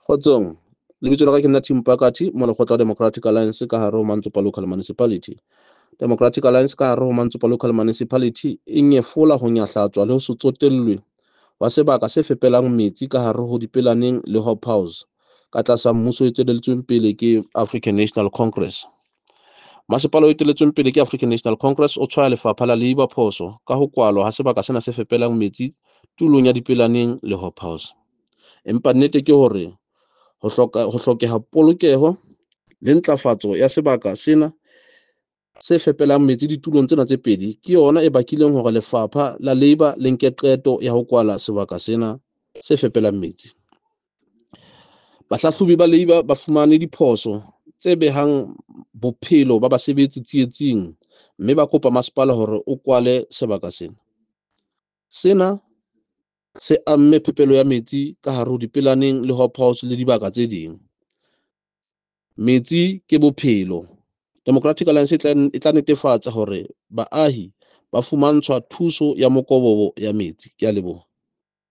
Kgotsong, lebitso la ka ke nna Tim Pakati, molekgotla wa Democratic Alliance ka hare ho Mantsopa Local Municipality. Democratic Alliance ka hare ho Mantsopa Local Municipality e nyefola ho nyahlatswa le ho se tsotellwe wa sebaka se fepelang metsi ka hare ho Dipelaneng le Hobhouse ka tlasa mmuso o eteletsweng pele ke African National Congress. Masepala o eteletsweng pele ke African National Congress o tshwaya lefapha la Labour phoso ka ho kwalwa ha sebaka sena se fepelang metsi tulong ya Dipelaneng le Hobhouse. Empa nnete ke hore ho hloka ho hlokeha polokeho le ntlafatso ya sebaka sena se fepelang metsi ditulong tsena tse pedi ke yona e bakileng hore lefapha la Labour le nke qeto ya ho kwala sebaka sena se fepelang metsi. Bahlahlobi ba Labour ba fumane diphoso tse behang bophelo ba basebetsi tsietsing mme ba kopa masepala hore o kwale sebaka sena. Sena se amme phepelo ya metsi ka hare ho Dipelaneng le Hobhouse le dibaka tse ding. Metsi ke bophelo. Democratic Alliance e tla netefatsa hore baahi ba fumantshwa thuso ya mokobobo ya metsi. Ke a leboha.